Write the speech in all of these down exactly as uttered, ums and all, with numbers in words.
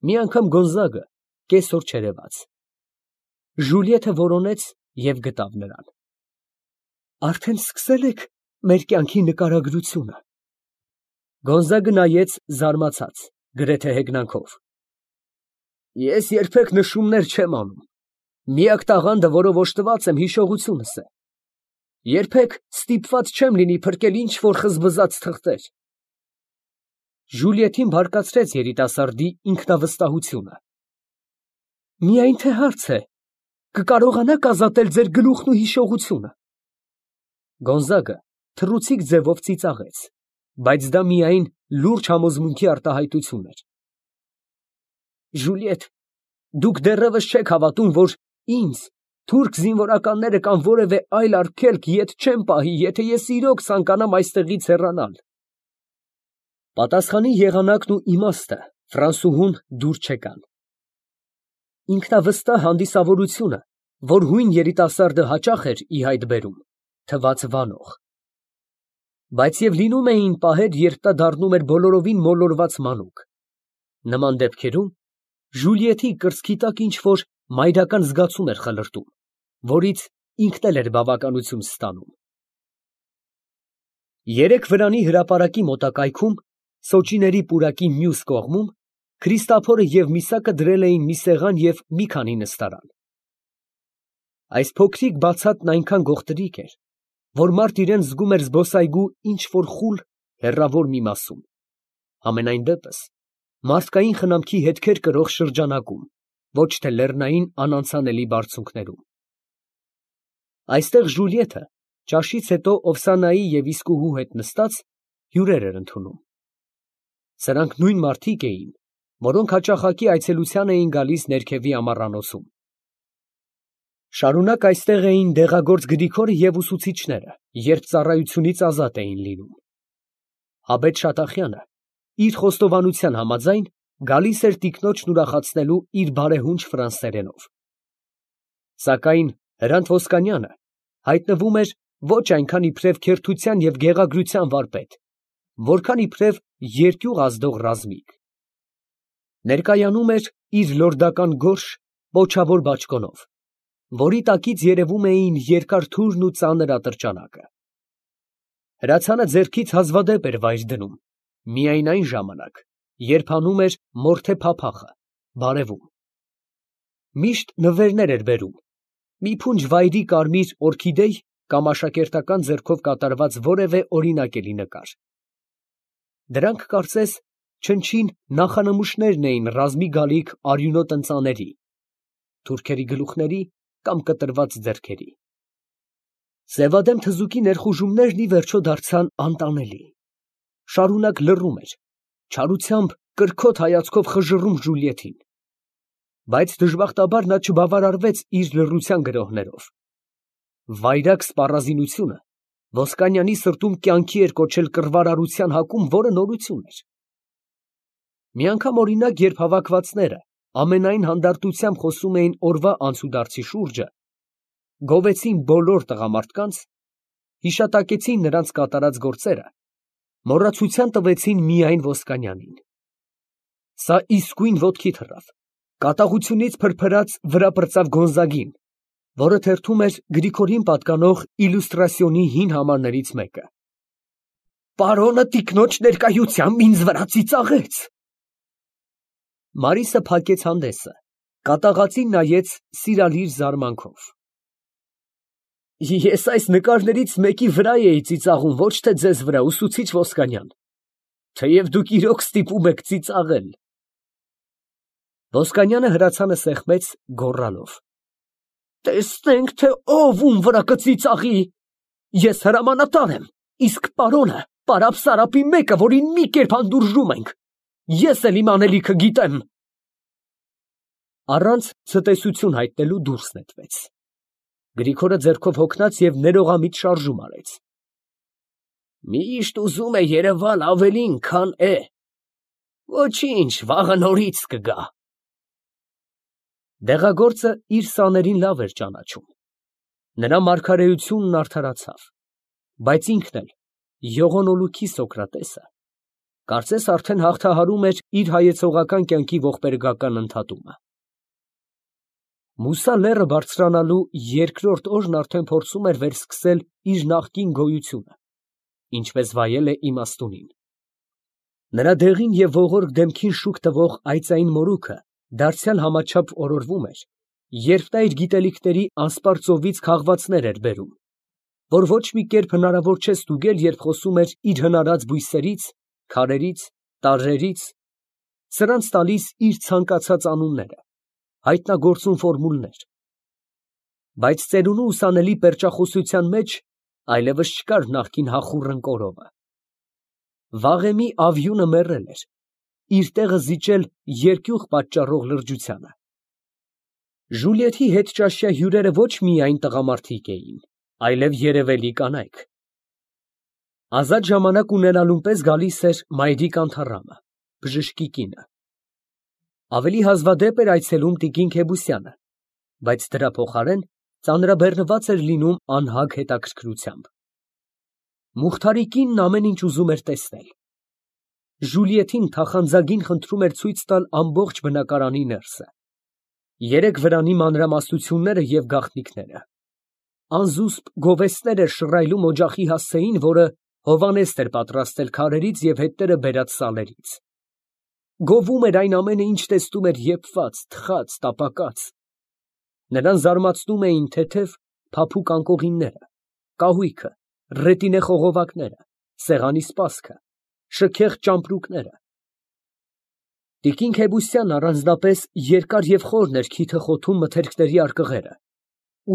Մի անգամ Գոնզագը կեսօր չերևաց։ Ժուլիետը որոնեց և գտավ նրան։ Արդեն սկսել եք մեր կյանքի նկարագրությունը։ Գոնզագը նայեց զարմացած, գրեթե հեգնանքով։ Ես երբեք նշումներ չեմ անում։ Միակ տաղանդը, որով օժտված եմ, հիշողությունս է։ Երբեք ստիպված չեմ լինի փրկել ինչ֊որ խզբզած թղթեր։ Ժուլիետին բարկացրեց երիտասարդի ինքնավստահությունը։ Միայն թե հարց է, կկարողանաք ազատել ձեր գլուխն ու հիշողությունը։ Գոնզագը թռուցիկ ձևով ծիծաղեց, բայց դա միայն լուրջ համոզմունքի արտահայտություն էր։ Ժուլիետ, դուք դեռևս չեք հավատում, որ ինձ թուրք զինվորականները կամ որևէ այլ արգելք ետ չեն պահի, եթե ես իրոք ցանկանամ այստեղից հեռանալ։ Պատասխանի եղանակն ու իմաստը ֆրանսուհուն դուր չեկան։ Ինքնավստահ հանդիսավորությունը, որ հույն երիտասարդը հաճախ էր ի հայտ բերում, թվաց վանող։ Բայց և լինում էին պահեր, երբ նա դառնում էր բոլորովին մոլորված մանուկ։ Նման դեպքերում Ժուլիետի կրծքի տակ ինչ֊որ մայրական զգացում էր խլրտում, որից ինքն էլ էր բավականություն ստանում։ Երեք վրանի հրապարակի մոտակայքում, սոճիների պուրակի մյուս կողմում, Քրիստափորը և Միսակը դրել էին մի սեղան և մի քանի նստարան։ Այս փոքրիկ բացատն այնքան գողտրիկ էր, որ մարդ իրան զգում էր զբոսայգու ինչ֊որ խուլ, հեռավոր մի մասում, համենայն դեպս մարդկային խնամքի հետքեր կրող շրջանակում, ոչ թե լեռնային անանցանելի բարձունքներում։ Այստեղ Ժուլիետը, ճաշից հետո Օվսանայի և իսկուհու հետ նստած, հյուրեր էր ընդունում։ Սրանք նույն մարդիկ էին, որոնք հաճախակի այցելության էին գալիս ներքևի ամառանոցում։ Շարունակ այստեղ էին դեղագործ Գրիգորը և ուսուցիչները, երբ ծառայությունից ազատ էին լինում։ Աբեթ Շատախյանը, իր խոստովանության համաձայն, գալիս էր տիկնոջն ուրախացնելու իր բարեհունչ ֆրանսերենով։ Սակայն Հրանտ Ոսկանյանը հայտնվում էր ոչ այնքան իբրև քերթության և գեղագրության վարպետ, որքան իբրև երկյուղ ազդող ռազմիկ։ Ներկայանում էր իր լորդական գորշ, պոչավոր բաճկոնով, որի տակից երևում էին երկար թուրն ու ծանր ատրճանակը։ Հրացանը ձեռքից հազվադեպ էր վայր դնում, միայն այն ժամանակ, երբ հանում էր մորթե փափախը, բարևում։ Միշտ նվերներ էր բերում, մի փունջ վայրի կարմիր օրքիդեյ կամ աշակերտական ձեռքով կատարված որևէ օրինակելի նկար։ Դրանք, կարծես, չնչին նախանմուշներն էին ռազմի գալիք արյունոտ ընծաների, թուրքերի գլուխների կամ կտրված ձեռքերի։ Սևադեմ թզուկի ներխուժումներն ի վերջո դարձան անտանելի։ Շարունակ լռում էր, չարությամբ կրքոտ հայացքով խժռում Ժուլիետին։ Բայց դժբախտաբար նա չբավարարվեց իր լռության գրոհներով։ Վայրագ սպառազինությունը Ոսկանյանի սրտում կյանքի էր կոչել կռվարարության հակում, որը նորություն էր։ Մի անգամ, օրինակ, երբ հավաքվածները ամենայն հանդարտությամբ խոսում էին օրվա անցուդարձի շուրջը, գովեցին բոլոր տղամարդկանց, հիշատակեցին նրանց կատարած գործերը, մոռացության տվեցին միայն Ոսկանյանին։ Սա իսկույն ոտքի թռավ, կատաղությունից փրփրած վրա պրծավ Գոնզագին, որը թերթում էր Գրիգորին պատկանող իլյուստրասիոնի հին համարներից մեկը։ Պարոնը տիկնոջ ներկայությամբ ինձ վրա ծիծաղեց։ Մարիսը փակեց հանդեսը, կատաղածին նայեց սիրալիր զարմանքով։ Ես այս նկարներից մեկի վրա էի ծիծաղում, ոչ թե ձեզ վրա, ուսուցիչ Ոսկանյան, թեև դուք իրոք ստիպում եք ծիծաղել։ Ոսկանյանը հրացանը սեղմեց, գոռալով. Տեսնենք, թե ով ում վրա կծիծաղի։ Ես հրամանատար եմ, իսկ պարոնը պարապ Սարապի մեկը, որին մի կերպ հանդուրժում ենք։ Ես էլ իմ անելիքը գիտեմ։ Առանց ցտեսություն հայտնելու դուրս նետվեց։ Գրիգորը ձեռքով հոգնած և ներողամիտ շարժում արեց։ Միշտ ուզում է երևալ ավելին, քան է։ Ոչինչ, վաղը նորից կգա։ Դեղագործը իր սաներին լավ էր ճանաչում։ Նրա մարգարեությունն արդարացավ, բայց ինքն էլ, յողոնոլուքի Սոկրատեսը, Կարծես արդեն հաղթահարում էր իր հայեցողական կյանքի ողբերգական ընդհատումը։ Մուսա լեռը բարձրանալու երկրորդ օրն արդեն փորձում էր վերսկսել իր նախկին գոյությունը, ինչպես վայել է իմաստունին։ Նրա դեղին և ողորկ դեմքին շուք տվող այծային մորուքը դարձյալ համաչափ օրորվում էր, երբ նա իր գիտելիքների անսպառ ծովից քաղվածներ էր բերում, որ ոչ մի կերպ հնարավոր չէ ստուգել, երբ խոսում էր իր հնարած բույսերից, քարերից, տարրերից, սրանց տալիս իր ցանկացած անունները, հայտնագործում ֆորմուլներ, բայց ծերունու ուսանելի պերճախոսության մեջ այլևս չկար նախկին հախուռն կորովը։ Վաղեմի ավյունը մեռել էր, իր տեղը զիջել երկյուղ պատճառող լրջությանը։ Ժուլիեթի հետճաշյա հյուրերը ոչ միայն տղամարդիկ էին, այլև երևելի կանայք։ Ազատ ժամանակ ունենալուն պես գալիս էր մայրիկ Անթառամը, բժշկի կինը։ Ավելի հազվադեպ էր այցելում տիկին Քեբուսյանը, բայց դրա փոխարեն ծանրաբեռնված էր լինում անհագ հետաքրքրությամբ։ Մուխթարի կինն ամեն ինչ ուզում էր տեսնել։ Ժուլիեթին թախանձագին խնդրում էր ցույց տալ ամբողջ բնակարանի ներսը, երեք վրանի մանրամասնությունները և գաղտնիքները։ Անզուսպ գովեստներ էր շռայլում օջախի հասցեին, որը հովանեստ էր պատրաստել քարերից և հետները բերած սալերից։ Գովում էր այն ամենը, ինչ տեսնում էր եփված, թխած, տապակած։ Նրան զարմացնում էին թեթև, փափուկ անկողինները, կահույքը, ռետինե խողովակները, սեղանի սպասքը, շքեղ ճամպրուկները։ Տիկին Քեբուսյանն առանձնապես երկար և խորն էր քիթը խոթում մթերքների արկղերը,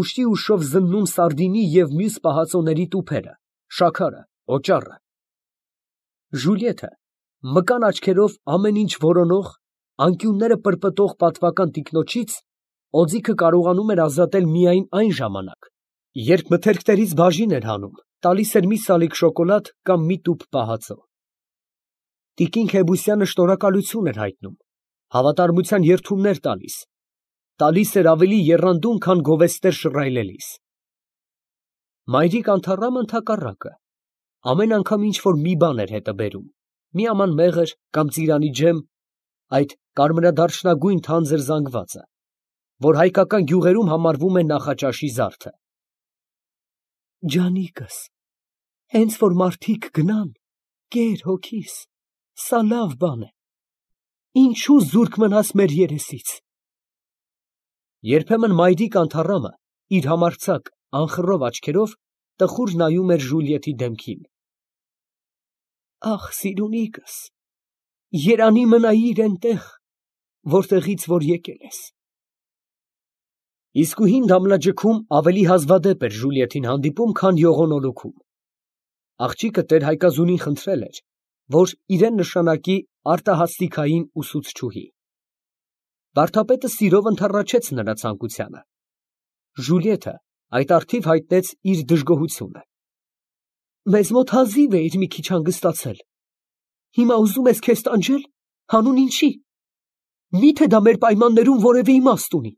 ուշի ուշով զննում սարդինի և մյուս պահածոների տուփերը, շաքարը, օճառը։ Ժուլիեթը մկան աչքերով ամեն ինչ որոնող, անկյունները պրպտող պատվական տիկնոջից օձիքը կարողանում էր ազատել միայն այն ժամանակ, երբ մթերքներից բաժին էր հանում, տալիս էր մի սալիկ շոկոլադ կամ մի տուփ պահածո։ Տիկին Քեբուսյանը շնորհակալություն էր հայտնում, հավատարմության երդումներ տալիս, տալիս էր ավելի եռանդուն, քան գովեստներ շռայլելիս։ Մայրիկ Անթառամը ընդհակառակը, ամեն անգամ ինչ-որ մի բան էր հետը բերում, մի աման մեղր կամ ծիրանի ջեմ, այդ կարմրադարչնագույն թանձր զանգվածը, որ հայկական գյուղերում համարվում է նախաճաշի զարդը։ Ջանիկս, հենց որ մարդիկ գնան, կեր հոգիս, սա լավ բան է, ինչու զուրկ մնաս մեր երեսից։ Երբեմն մայրիկ Անթառամը իր համարձակ, անխռով աչքերով տխուր նայում էր Ժուլիեթի դեմքին։ Ախ, սիրունիկս, երանի մնայիր էնտեղ, որտեղից որ եկել ես։ Իսկույն դամլաջքում ավելի հազվադեպ էր Ժուլիեթին հանդիպում, քան յողոնոլուքում։ Աղջիկը տեր֊հայկազունին խնդրել էր, որ իրեն նշանակի արտահասթիկային ուսուցչուհի։ Վարդապետը սիրով ընդառաջեց նրա ցանկությանը։ Ժուլիեթը այդ առթիվ հայտնեց իր դժգոհությունը։ Մեզ մոտ հազիվ էիր մի քիչ հանգստացել, հիմա ուզում ես քեզ տանջել, հանուն ինչի։ Մի՞թե դա մեր պայմաններում որևէ իմաստ ունի։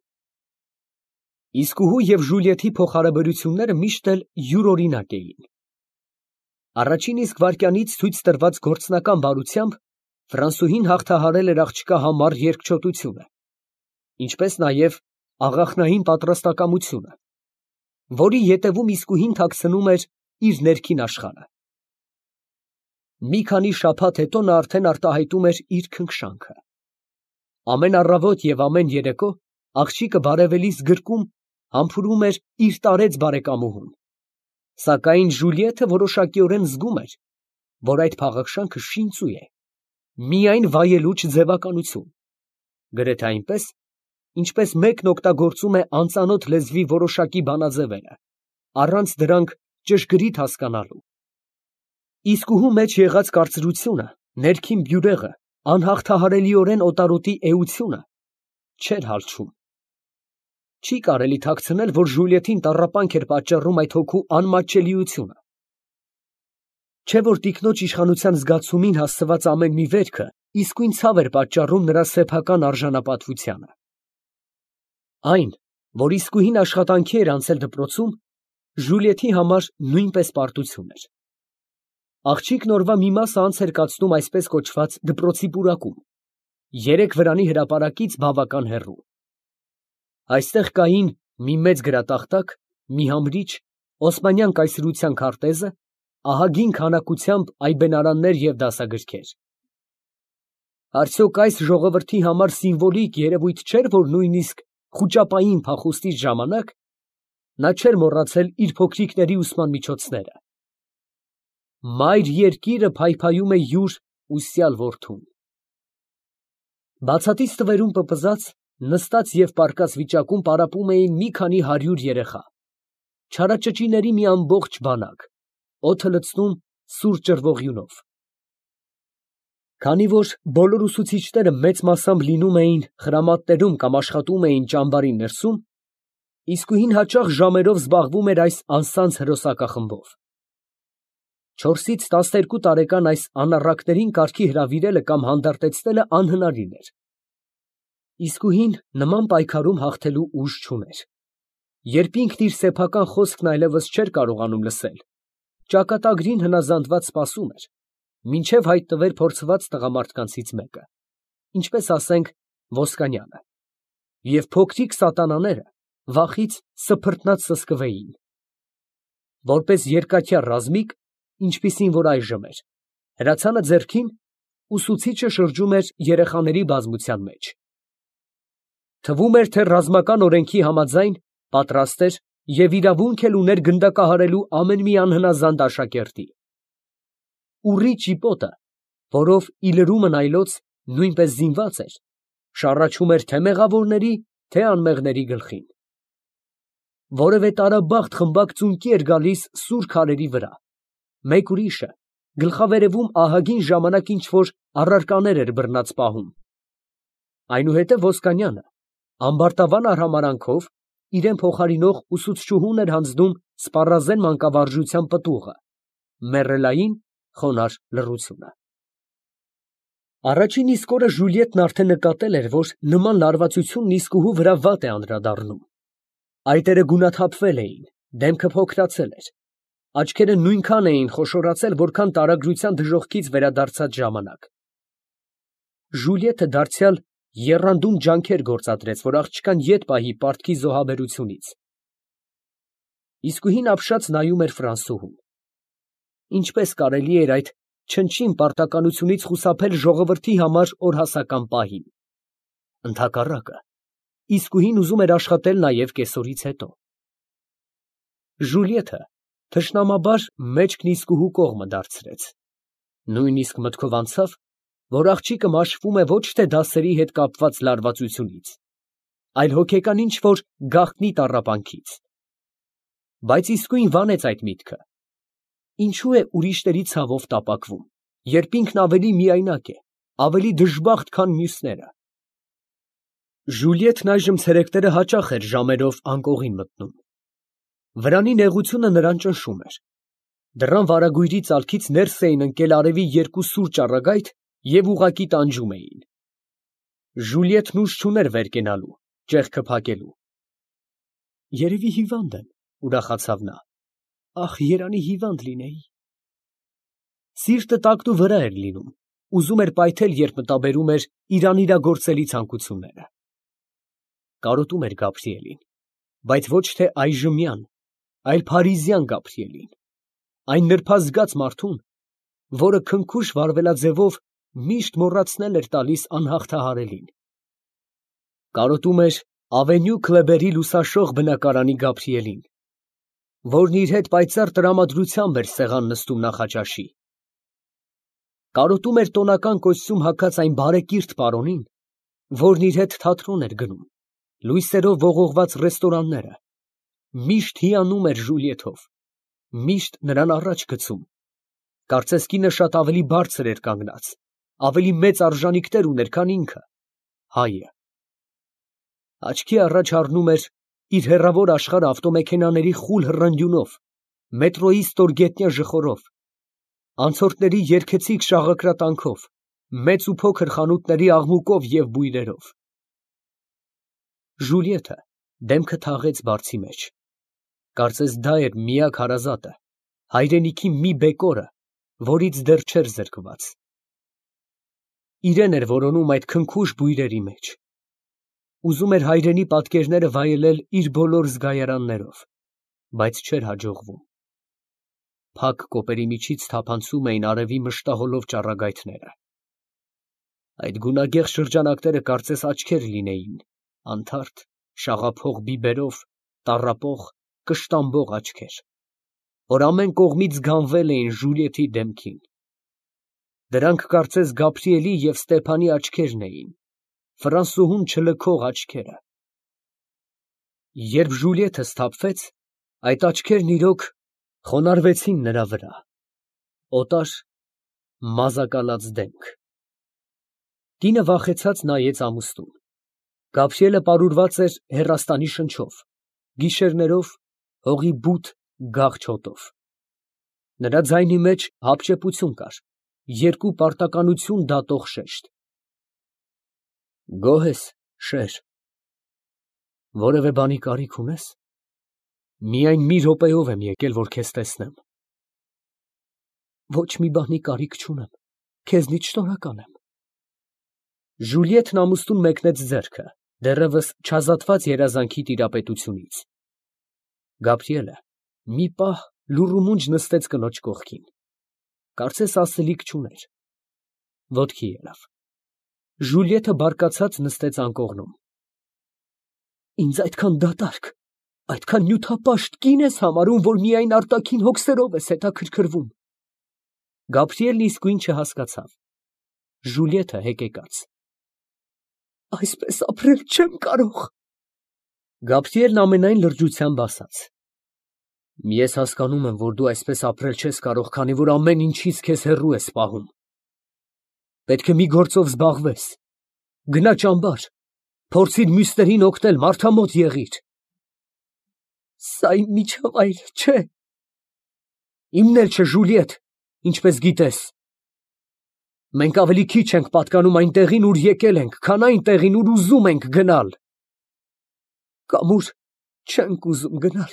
Իսկուհու և Ժուլիեթի փոխհարաբերությունները միշտ էլ յուրօրինակ էին։ Առաջին իսկ վայրկյանից ցույց տրված գործնական բարությամբ Ֆրանսուհին հաղթահարել էր աղջկա համառ երկչոտությունը, ինչպես նաև աղախնային պատրաստակամությունը, որի ետևում իսկույն թաքցնում էր իր ներքին աշխարհը։ Մի քանի շաբաթ հետո նա արդեն արտահայտում էր իր քնքշանքը։ Ամեն առավոտ և ամեն երեկո աղջիկը բարևելիս գրկում համբուրում էր իր տարեց բարեկամուհուն, սակայն Ժուլիեթը որոշակիորեն զգում էր, որ այդ փաղաքշանքը շինծու է, միայն վայելուչ ձևականություն, գրեթե այնպես, ինչպես մեկն օգտագործում է անծանոթ լեզվի որոշակի բանաձևերը, առանց դրանք ճշգրիտ հասկանալու։ Իսկուհու մեջ եղած կարծրությունը, ներքին բյուրեղը, անհաղթահարելիորեն օտարոտի էությունը չէր հալչում։ Չի կարելի թաքցնել, որ Ժուլիեթին տառապանք էր պատճառում այդ հոգու անմատչելիությունը։ Չէ որ տիկնոջ իշխանության զգացումին հասցված ամեն մի վերքը իսկույն ցավ էր պատճառում նրա սեփական արժանապատվությանը։ Այն, որ իսկույն աշխատանքի էր անցել դպրոցում, Ժուլիեթի համար նույնպես պարտություն էր։ Աղջիկն օրվա մի մասը անց էր կացնում այսպես կոչված դպրոցի պուրակում, երեք վրանի հրապարակից բավական հեռու։ Այստեղ կային մի մեծ գրատախտակ, մի համրիչ, օսմանյան կայսրության քարտեզը, ահագին քանակությամբ այբենարաններ և դասագրքեր։ Արդյոք այս ժողովրդի համար սիմվոլիկ երևույթ չէր, որ նույնիսկ խուճապային փախուստի ժամանակ նա չէր մոռացել իր փոքրիկների ուսման միջոցները։ Մայր երկիրը փայփայում է յուր ուսյալ որդուն։ Բացատից տվերում պպզած, նստած և պառկած վիճակում պարապում էին մի քանի հարյուր երեխա, չարաճճիների մի ամբողջ բանակ, օդը լցնում սուր ճռվողյունով։ Քանի որ բոլոր ուսուցիչները մեծ մասամբ լինում էին խրամատներում կամ աշխատում էին ճամբարի ներսում, իսկույն հաճախ ժամերով զբաղվում էր այս անսանձ հրոսակախմբով։ Չորսից տասներկու տարեկան այս անառակներին կարգի հրավիրելը կամ հանդարտեցնելը անհնարին էր։ Իսկույն նման պայքարում հաղթելու ուժ չուներ։ Երբ ինքն իր սեփական խոսքն այլևս չէր կարողանում լսել, ճակատագրին հնազանդված սպասում էր, մինչև հայտնվեր փորձված տղամարդկանցից մեկը, ինչպես ասենք Ոսկանյանը, և փոքրիկ սատանաները վախից սփրտնած սսկվեին։ Որպես երկաթյա ռազմիկ, ինչպիսին որ այժմ էր, հրացանը ձեռքին, ուսուցիչը շրջում էր երեխաների բազմության մեջ։ Թվում էր, թե ռազմական օրենքի համաձայն պատրաստ էր և իրավունք էլ ուներ գնդակահարելու ամեն մի անհնազանդ աշակերտի։ Ուռի ճիպոտը, որով ի լրումն այլոց նույնպես զինված էր, շառաչում էր թե մեղավորների, թե անմեղների գլխին։ Որևէ տարաբախտ խմբակ ծունկի էր գալիս սուր քարերի վրա, մեկ ուրիշը գլխավերևում ահագին ժամանակ ինչ֊որ առարկաներ էր բռնած պահում։ Այնուհետև Ոսկանյանը ամբարտավան արհամարհանքով իրան փոխարինող ուսուցչուհուն էր հանձնում սպառազեն մանկավարժության պտուղը, մեռելային խոնարհ լռությունը։ Առաջին իսկ օրը Ժուլիետն արդեն նկատել էր, որ նման լարվածությունն իսկուհու վրա վատ է անդրադառնում։ Այտերը գունաթափվել էին, դեմքը փոքրացել էր, աչքերը նույնքան էին խոշորացել, որքան տարագրության դժոխքից վերադարձած ժամանակ։ Ժուլիետը դարձյալ եռանդուն ջանքեր գործադրեց, որ աղջկան ետ պահի պարտքի զոհաբերությունից։ Իսկույն ապշած նայում էր Ֆրանսուհուն։ Ինչպես կարելի էր այդ չնչին պարտականությունից խուսափել ժողովրդի համար օրհասական պահին։ Ընդհակառակը, իսկույն ուզում էր աշխատել նաև կեսօրից հետո։ Ժուլիետը թշնամաբար մեջքն իսկուհու կողմը դարձրեց։ Նույնիսկ մտքով անցավ, որ աղջիկը մաշվում է ոչ թե դասերի հետ կապված լարվածությունից, այլ հոգեկան ինչ֊որ գաղտնի տառապանքից։ Բայց իսկույն վանեց այդ միտքը։ Ինչու է ուրիշների ցավով տապակվում, երբ ինքն ավելի միայնակ է, ավելի դժբախտ, քան մյուսները։ Ժուլիետն այժմ ցերեկները հաճախ էր ժամերով անկողին մտնում։ Վրանի նեղությունը նրան ճնշում էր։ Դռան վարագույրի ծալքից ներս էին ընկել արևի երկու սուր ճառագայթ և ուղղակի տանջում էին։ Ժուլիետն ուժ չուներ վեր կենալու, ճեղքը փակելու։ Երևի հիվանդ եմ, ուրախացավ նա։ Ախ, երանի հիվանդ լինեի։ Սիրտը տակնուվրա էր լինում, ուզում էր պայթել, երբ մտաբերում էր իր անիրագործելի ցանկությունները։ Կարոտում էր Գաբրիելին, բայց ոչ թե այժմյան, այլ փարիզյան Գաբրիելին, այն նրբազգաց մարդուն, որը քնքուշ վարվելաձևով միշտ մոռացնել էր տալիս անհաղթահարելին։ Կարոտում էր Ավենյու Քլեբերի լուսաշող բնակարանի Գաբրիելին, որն իր հետ պայծառ տրամադրությամբ էր սեղան նստում նախաճաշի։ Կարոտում էր տոնական կոստյում հագած այն բարեկիրթ պարոնին, որն իր հետ թատրոն էր գնում, լույսերով ողողված ռեստորանները, միշտ հիանում էր Ժուլիեթով, միշտ նրան առաջ գցում, կարծես կինը շատ ավելի բարձր էր կանգնած, ավելի մեծ արժանիքներ ուներ, քան ինքը, հայը։ Աչքի առաջ առնում էր իր հեռավոր աշխարհը ավտոմեքենաների խուլ հռնգյունով, մետրոյի ստորգետնյա ժխորով, անցորդների երգեցիկ շաղակրատանքով, մեծ ու փոքր խանութների աղմուկով և բույրերով։ Ժուլիետը դեմքը թաղեց բարձի մեջ, կարծես դա էր միակ հարազատը, հայրենիքի մի բեկորը, որից դեռ չէր զրկված։ Իրեն էր որոնում այդ քնքուշ բույրերի մեջ։ Ուզում էր հայրենի պատկերները վայելել իր բոլոր զգայարաններով, բայց չէր հաջողվում։ Փակ կոպերի միջից թափանցում էին արևի մշտահոլով ճառագայթները։ Այդ գունագեղ շրջանակները կարծես աչքեր լինեին, անթարթ, շաղափող բիբերով, տառապող, կշտամբող աչքեր, որ ամեն կողմից գանվել էին Ժուլիետի դեմքին։ Դրանք կարծես Գաբրիելի և Ստեփանի աչքերն էին, ֆրանսուհուն չլքող աչքերը։ Երբ Ժուլիետը սթափվեց, այդ աչքերն իրոք խոնարհվեցին նրա վրա, օտար, մազակալած դեմք։ Կինը վախեցած նայեց ամուսնուն։ Գաբրիելը պարուրված էր հեռաստանի շնչով, գիշերներով հողի բութ գաղ հոտով։ Նրա ձայնի մեջ հապճեպություն կար, երկու պարտականություն դատող շեշտ։ Գոհ ես, շեր, որևէ բանի կարիք ունե՞ս։ Միայն մի րոպեով եմ եկել, որ քեզ տեսնեմ։ Ոչ մի բանի կարիք չունեմ, քեզնից շնորհակալ եմ։ Ժուլիետն ամուսնուն մեկնեց ձեռքը, դեռևս չազատված երազանքի տիրապետությունից։ Գաբրիելը մի պահ լուռ ու մունջ նստեց կնոջ կողքին, կարծես ասելիք չուներ, ոտքի ելավ։ Ժուլիետը բարկացած նստեց անկողնում։ Ինձ այդքան դատարկ, այդքան նյութապաշտ կին ես համարում, որ միայն արտաքին հոգսերով ես հետաքրքրվում։ Գաբրիելն իսկույն չհասկացավ։ Ժուլիետը հեկեկաց։ Այսպես ապրել չեմ կարող։ Գաբրիելն ամենայն լրջությամբ ասաց. Ես հասկանում եմ, որ դու այսպես ապրել չես կարող, քանի որ ամեն ինչից քեզ հեռու ես պահում։ Պետք է մի գործով զբաղվես։ Գնա ճամբար, փորձիր մյուսներին օգնել, մարդամոտ եղիր։ Սա իմ միջավայրը չէ։ Իմն էլ չէ, Ժուլիետ, ինչպես գիտես։ Մենք ավելի քիչ ենք պատկանում այն տեղին, ուր եկել ենք, քան այն տեղին, ուր ուզում ենք գնալ։ Կամ ուր չենք ուզում գնալ։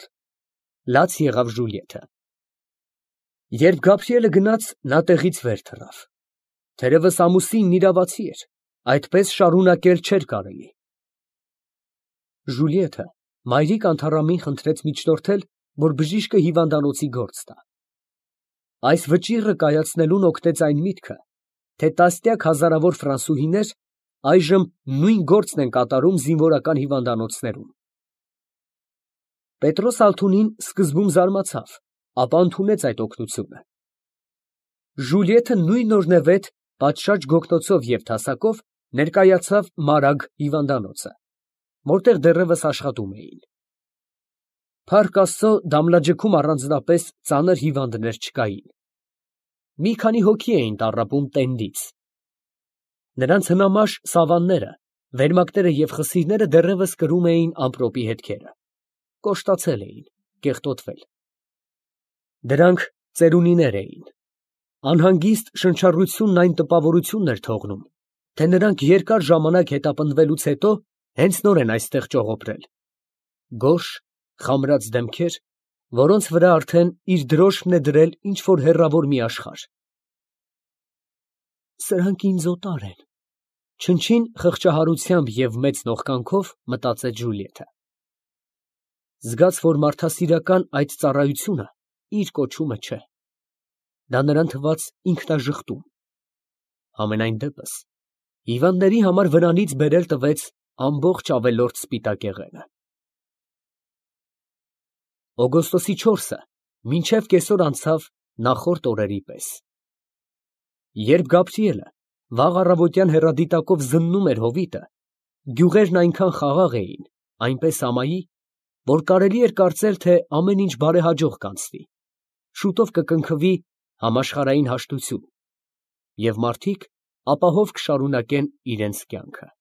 Լաց եղավ Ժուլիետը։ Երբ Գաբրիելը գնաց, նա տեղից վեր թռավ։ Թերևս ամուսինն իրավացի էր, այդպես շարունակել չէր կարելի։ Ժուլիետը մայրիկ անթառամին խնդրեց միջնորդել, որ բժիշկը հիվանդանոցի գործ տա։ Այս վճիռը կայացնելուն օգնեց այն միտքը, թե տասնյակ հազարավոր ֆրանսուհիներ այժմ նույն գործն են կատարում զինվորական հիվանդանոցներում։ Պետրոս Ալթունին սկզբում զարմացավ, ապա ընդունեց այդ օգնությունը։ Ժուլիետը նույնօրնևեթ, պատշաճ գոգնոցով և թասակով ներկայացավ Մարագ հիվանդանոցը, որտեղ դեռևս աշխատում էին։ Փառք Աստծո, Դամլաջքում առանձնապես ծանր հիվանդներ չկային։ Մի քանի հոգի էին տառապում տենդից։ Նրանց հնամաշ սավանները, վերմակները և խսիրները դեռևս կրում էին ամպրոպի հետքերը, կոշտացել էին, կեղտոտվել։ Դրանք ծերունիներ էին։ Անհանգիստ շնչառությունն այն տպավորությունն էր թողնում, թե նրանք երկար ժամանակ հետապնդվելուց հետո հենց նոր են այստեղ ճողոպրել։ Գորշ, խամրած դեմքեր, որոնց վրա արդեն իր դրոշքն է դրել ինչ֊որ հեռավոր մի աշխարհ։ Սրանք ինձ օտար են, չնչին խղճահարությամբ և մեծ նողկանքով մտածեց Ժուլիետը։ Զգաց, որ մարդասիրական այդ ծառայությունը իր կոչումը չէ։ Դա նրան թվաց ինքնաժխտում։ Համենայն դեպս, հիվանդների համար վրանից բերել տվեց ամբողջ ավելորդ սպիտակեղենը։ Օգոստոսի չորսը մինչև կեսօր անցավ նախորդ օրերի պես։ Երբ Գաբրիելը վաղ առավոտյան հեռադիտակով զննում էր հովիտը, գյուղերն այնքան խաղաղ էին, այնպես ամայի, որ կարելի էր կարծել, թե ամեն ինչ բարեհաջող կանցնի, շուտով կկնքվի համաշխարհային հաշտություն, և մարդիկ ապահով կշարունակեն իրենց կյանքը։